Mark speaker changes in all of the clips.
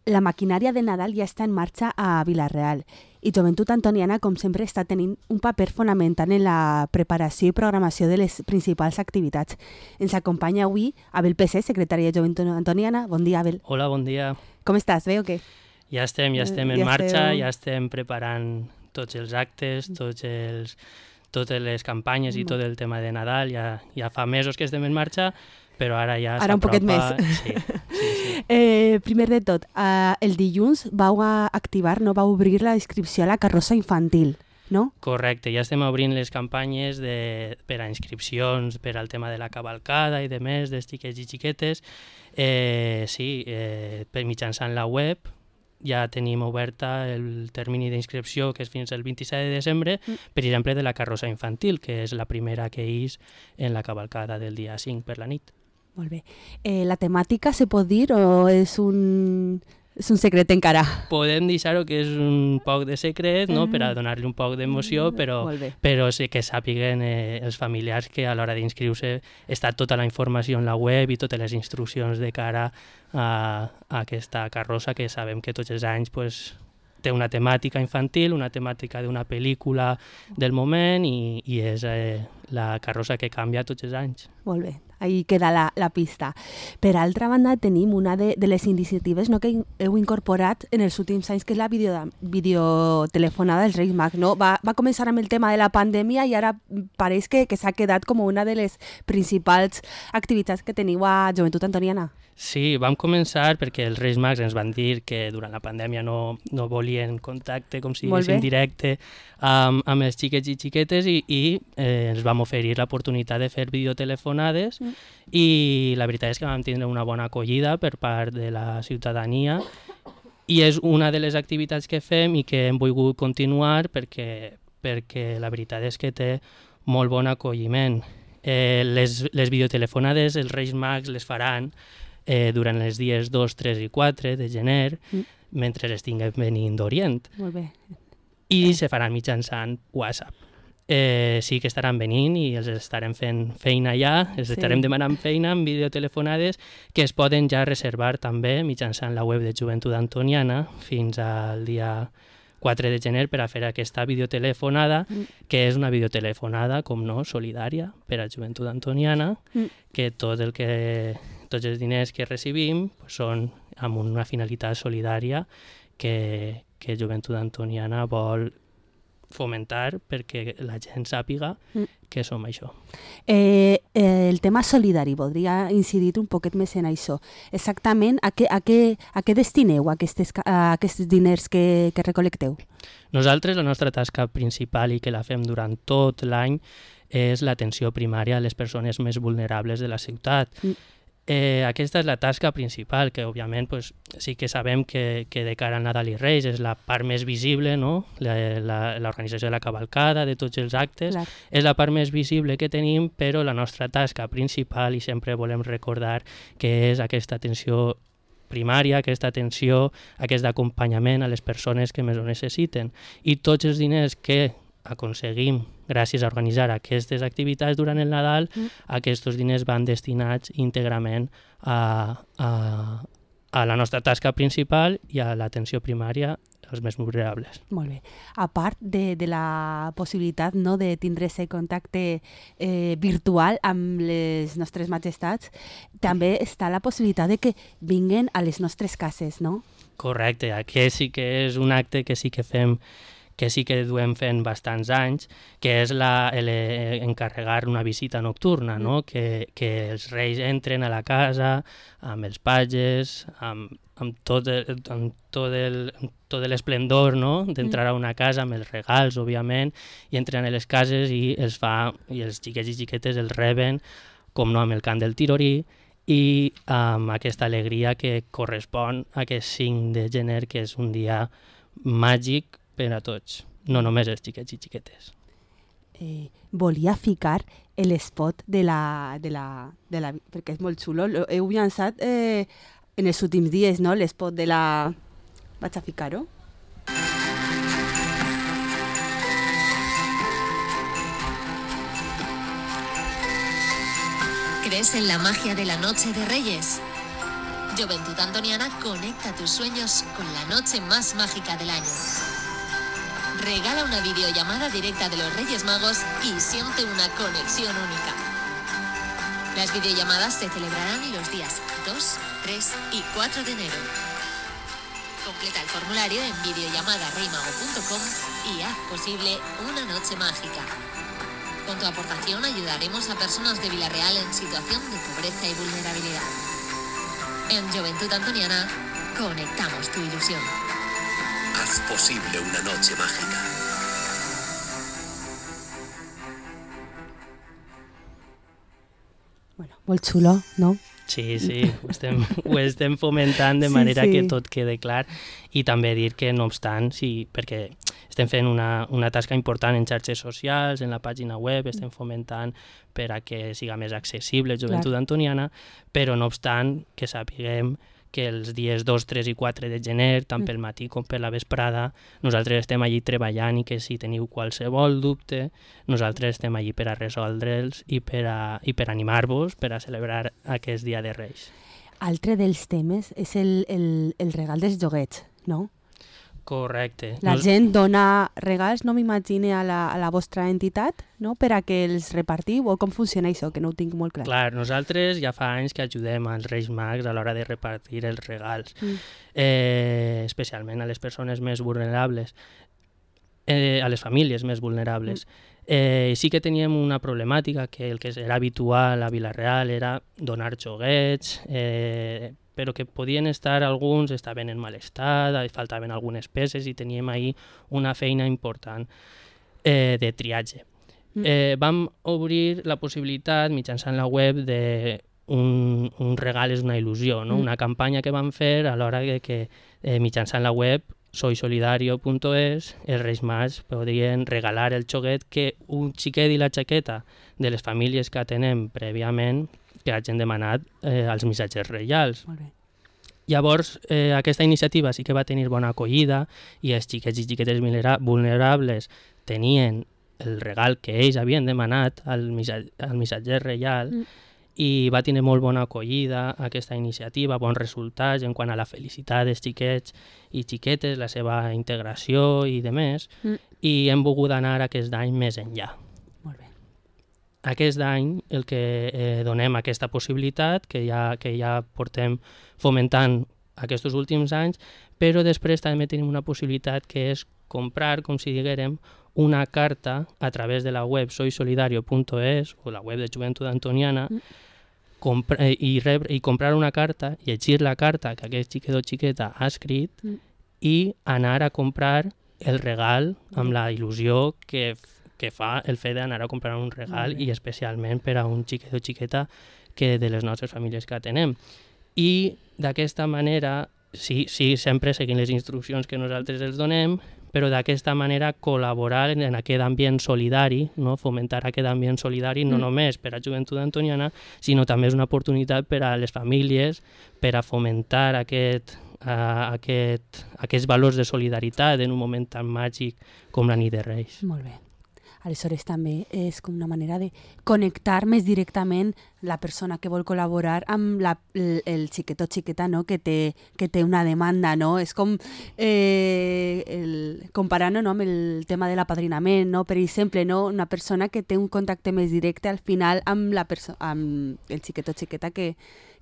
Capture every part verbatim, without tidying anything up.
Speaker 1: la maquinària de Nadal ja està en marxa a Vila-real i Joventut Antoniana, com sempre, està tenint un paper fonamental en la preparació i programació de les principals activitats. Ens acompanya avui Abel Pessé, secretari de Joventut Antoniana. Bon dia, Abel.
Speaker 2: Hola, bon dia.
Speaker 1: Com estàs? Bé o què?
Speaker 2: Ja estem, ja estem en
Speaker 1: ja
Speaker 2: marxa,
Speaker 1: esteu...
Speaker 2: ja estem preparant tots els actes, tots els, totes les campanyes i tot el tema de Nadal. Ja, ja fa mesos que estem en marxa, però ara ja
Speaker 1: Ara un poquet més.
Speaker 2: Sí, sí, sí.
Speaker 1: Eh, primer de tot, eh, el dilluns vau activar, no vau obrir la inscripció a la carrossa infantil, no?
Speaker 2: Correcte, ja estem obrint les campanyes de, per a inscripcions, per al tema de la cavalcada i de més, dels xiquets i xiquetes. Eh, sí, eh, per mitjançant la web ja tenim oberta el termini d'inscripció, que és fins al vint-i-set de desembre, mm. per exemple, de la carrossa infantil, que és la primera que és en la cavalcada del dia cinc per la nit.
Speaker 1: Molt bé. Eh, la temàtica se pot dir o és un, és un secret encara?
Speaker 2: Podem deixar-ho que és un poc de secret, no? Per a donar-li un poc d'emoció, però, però sí que sàpiguen eh, els familiars que a l'hora d'inscriure està tota la informació en la web i totes les instruccions de cara a, a aquesta carrossa, que sabem que tots els anys pues, té una temàtica infantil, una temàtica d'una pel·lícula del moment i, i és eh, la carrossa que canvia tots els anys.
Speaker 1: Molt bé. Ahí queda la, la pista. Per altra banda, tenim una de, de les iniciatives, no, que heu incorporat en els últims anys, que és la video, videotelefonada dels Reis Mags. No? Va, va començar amb el tema de la pandèmia i ara pareix que, que s'ha quedat com una de les principals activitats que teniu a Joventut Antoniana.
Speaker 2: Sí, vam començar perquè els Reis Mags ens van dir que durant la pandèmia no, no volien contacte, com si diguéssim, directe amb, amb els xiquets i xiquetes i, i eh, ens vam oferir l'oportunitat de fer videotelefonades mm. i la veritat és que vam tindre una bona acollida per part de la ciutadania i és una de les activitats que fem i que hem volgut continuar perquè, perquè la veritat és que té molt bon acolliment. Eh, les, les videotelefonades els Reis Mags les faran Eh, durant els dies dos, tres i quatre de gener, mm. mentre estiguen venint d'Orient.
Speaker 1: Molt bé.
Speaker 2: I eh. se faran mitjançant WhatsApp. Eh, sí que estaran venint i els estarem fent feina ja, els sí. estarem demanant feina amb videotelefonades que es poden ja reservar també mitjançant la web de Joventut Antoniana fins al dia quatre de gener per a fer aquesta videotelefonada, mm. que és una videotelefonada, com no, solidària per a Joventut Antoniana, mm. que tot el que... tots els diners que recibim pues, són amb una finalitat solidària que, que Joventut Antoniana vol fomentar perquè la gent sàpiga mm. que som això.
Speaker 1: Eh, eh, el tema solidari, voldria incidir un poquet més en això. Exactament, a què, a què, a què destineu aquestes, a aquests diners que, que recolecteu?
Speaker 2: Nosaltres, la nostra tasca principal i que la fem durant tot l'any és l'atenció primària a les persones més vulnerables de la ciutat. Mm. Eh, aquesta és la tasca principal, que òbviament pues, sí que sabem que, que de cara al Nadal i Reis és la part més visible, no? L'organització de la cavalcada, de tots els actes, clar. És la part més visible que tenim, però la nostra tasca principal, i sempre volem recordar que és aquesta atenció primària, aquesta atenció, aquest acompanyament a les persones que més ho necessiten. I tots els diners que aconseguim gràcies a organitzar aquestes activitats durant el Nadal, mm. aquests diners van destinats íntegrament a, a, a la nostra tasca principal i a l'atenció primària als més vulnerables.
Speaker 1: Molt bé. A part de, de la possibilitat, no, de tindre aquest contacte eh, virtual amb les nostres majestats, també està la possibilitat de que vinguen a les nostres cases, no?
Speaker 2: Correcte. Aquest sí que és un acte que sí que fem que sí que duem fent bastants anys, que és la, el, encarregar una visita nocturna, no? Mm. que, que els reis entren a la casa amb els pages, amb, amb tot el, amb tot el, tot l'esplendor, no? D'entrar a una casa amb els regals, òbviament, i entren a les cases i els fa, i els xiquets i xiquetes els reben, com no, amb el cant del tirorí, i amb aquesta alegria que correspon a aquest cinc de gener, que és un dia màgic per a tots, no només els xiquets i xiquetes.
Speaker 1: Eh, volia ficar l'espot de la, de la, de la... perquè és molt xulo. Heu llançat eh, en els últims dies, no?, l'espot de la... Vaig a ficar-ho.
Speaker 3: ¿Crees en la magia de la Noche de Reyes? Juventud Antoniana conecta tus sueños con la noche más mágica del año. Regala una videollamada directa de los Reyes Magos y siente una conexión única. Las videollamadas se celebrarán los días dos, tres y cuatro de enero. Completa el formulario en videollamada reymago punto com y haz posible una noche mágica. Con tu aportación ayudaremos a personas de Vila-real en situación de pobreza y vulnerabilidad. En Juventud Antoniana, conectamos tu ilusión.
Speaker 4: Haz posible una noche mágica.
Speaker 1: Bueno, molt xulo, no?
Speaker 2: Sí, sí, ho estem, ho estem fomentant de
Speaker 1: Sí,
Speaker 2: manera
Speaker 1: sí.
Speaker 2: que tot quede clar i també dir que, no obstant, sí, perquè estem fent una, una tasca important en xarxes socials, en la pàgina web, estem fomentant per a que siga més accessible Joventut Antoniana, però no obstant que sapiguem que els dies dos, tres i quatre de gener, tant pel matí com per la vesprada, nosaltres estem allí treballant i que si teniu qualsevol dubte, nosaltres estem allí per a resoldre'ls i per a, i per animar-vos per a celebrar aquest Dia de Reis.
Speaker 1: Altre dels temes és el, el, el regal dels joguets, no?
Speaker 2: Correcte.
Speaker 1: La
Speaker 2: Nos-
Speaker 1: gent dona regals, no m'imagine, a, la, a la vostra entitat, no? Per a que els repartiu, o com funciona això, que no ho tinc molt clar.
Speaker 2: Clar, nosaltres ja fa anys que ajudem als Reis Mags a l'hora de repartir els regals,
Speaker 1: Mm.
Speaker 2: eh, especialment a les persones més vulnerables, eh, a les famílies més vulnerables. Eh, sí que teníem una problemàtica que el que era habitual a Vila-real era donar joguets, eh, però que podien estar, alguns estaven en mal estat, faltaven algunes peces i teníem ahir una feina important eh, de triatge.
Speaker 1: Mm.
Speaker 2: Eh, vam obrir la possibilitat mitjançant la web de un, un regal és una il·lusió, no?
Speaker 1: Mm.
Speaker 2: Una campanya que vam fer a l'hora de que eh, mitjançant la web soysolidario punto es els Reis Mags podrien regalar el xoguet que un xiquet i la xaqueta de les famílies que atenem prèviament que hagin demanat eh, als missatgers reials.
Speaker 1: Molt bé.
Speaker 2: Llavors, eh, aquesta iniciativa sí que va tenir bona acollida i els xiquets i xiquetes vulnera- vulnerables tenien el regal que ells havien demanat al, missa- al missatger reial
Speaker 1: Mm.
Speaker 2: i va tenir molt bona acollida aquesta iniciativa, bons resultats en quant a la felicitat dels xiquets i xiquetes, la seva integració i de més,
Speaker 1: Mm.
Speaker 2: i hem volgut anar aquest any més enllà.
Speaker 1: Molt bé.
Speaker 2: Aquest any el que eh, donem aquesta possibilitat, que ja, que ja portem fomentant aquests últims anys, però després també tenim una possibilitat que és comprar, com si diguérem, una carta a través de la web soysolidario punto es o la web de Joventut Antoniana
Speaker 1: Mm.
Speaker 2: compra, eh, i, rebre, i comprar una carta, llegir la carta que aquest xiquet o xiqueta ha escrit
Speaker 1: Mm.
Speaker 2: i anar a comprar el regal amb la il·lusió que, que fa el fet d'anar a comprar un regal
Speaker 1: Molt bé.
Speaker 2: i especialment per a un xiquet o xiqueta que de les nostres famílies que atenem. I d'aquesta manera, sí, sí, sempre seguint les instruccions que nosaltres els donem, però d'aquesta manera col·laborar en aquest ambient solidari, no? Fomentar aquest ambient solidari no
Speaker 1: Mm.
Speaker 2: només per a Joventut Antoniana, sinó també és una oportunitat per a les famílies per a fomentar aquest, uh, aquest, aquests valors de solidaritat en un moment tan màgic com la nit de Reis.
Speaker 1: Molt bé. Aleshores també és com una manera de connectar més directament la persona que vol col·laborar amb la, el, el xiquet o xiqueta, no? que, té, que té una demanda. No? És com eh, el, comparant-ho, no? amb el tema de l'apadrinament, no? Per exemple, no? Una persona que té un contacte més directe al final amb, la perso- amb el xiquet o xiqueta que,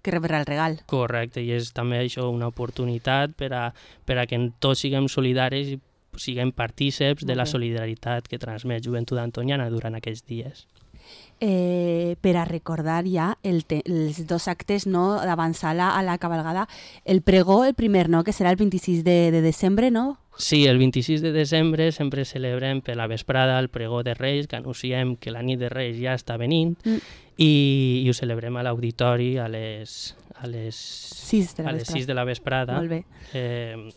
Speaker 1: que rebrà el regal.
Speaker 2: Correcte, i és també això una oportunitat per a, per a que tots siguem solidaris i siguem partíceps de la
Speaker 1: Molt bé.
Speaker 2: solidaritat que transmet Joventut Antoniana durant aquests dies.
Speaker 1: Eh, per a recordar ja el te els dos actes, no? D'avançar la, a la cabalgada. El pregó, el primer, no? Que serà el vint-i-sis de, de desembre, no?
Speaker 2: Sí, el vint-i-sis de desembre sempre celebrem per la vesprada el pregó de Reis, que anunciem que la nit de Reis ja està venint,
Speaker 1: Mm.
Speaker 2: i, i ho celebrem a l'auditori a les, a les,
Speaker 1: sis de la
Speaker 2: a les
Speaker 1: vesprada.
Speaker 2: sis de la vesprada.
Speaker 1: Molt bé.
Speaker 2: Eh,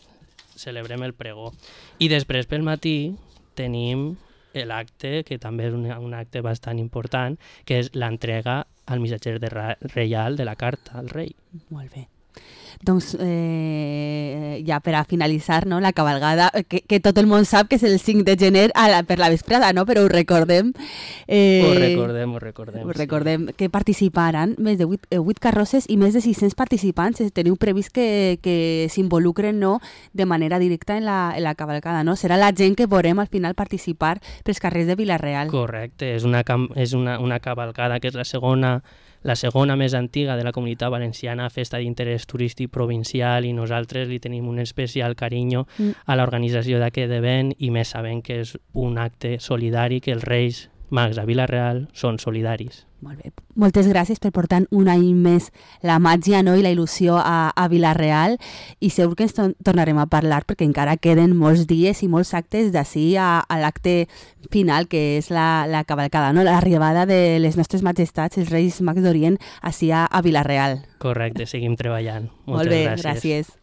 Speaker 2: celebrem el pregó. I després pel matí tenim l'acte, que també és un, un acte bastant important, que és l'entrega al missatger de ra- reial de la carta al rei.
Speaker 1: Molt bé. Doncs eh, ja per a finalitzar, no, la cabalgada, que, que tot el món sap que és el cinc de gener a la, per la vesprada, no? Però ho recordem.
Speaker 2: Eh, ho recordem, ho recordem.
Speaker 1: Ho recordem, sí. Que participaran més de vuit carrosses i més de sis-cents participants. Teniu previst que, que s'involucren, no, de manera directa en la, en la cabalgada, no? Serà la gent que veurem al final participar pels carrers de Vila-real.
Speaker 2: Correcte, és una, és una, una cabalgada que és la segona la segona més antiga de la Comunitat Valenciana, festa d'interès turístic provincial, i nosaltres li tenim un especial carinyo mm. a l'organització d'aquest event, i més sabent que és un acte solidari, que els Reis Mags a Vila-real són solidaris.
Speaker 1: Molt bé. Moltes gràcies per portar un any més la màgia, no, i la il·lusió a, a Vila-real, i segur que ens to- tornarem a parlar perquè encara queden molts dies i molts actes d'ací a, a l'acte final, que és la, la cavalcada, no? L'arribada de les nostres majestats, els Reis Mags d'Orient, ací a, a Vila-real.
Speaker 2: Correcte, seguim treballant. Moltes
Speaker 1: Molt bé,
Speaker 2: gràcies.
Speaker 1: gràcies.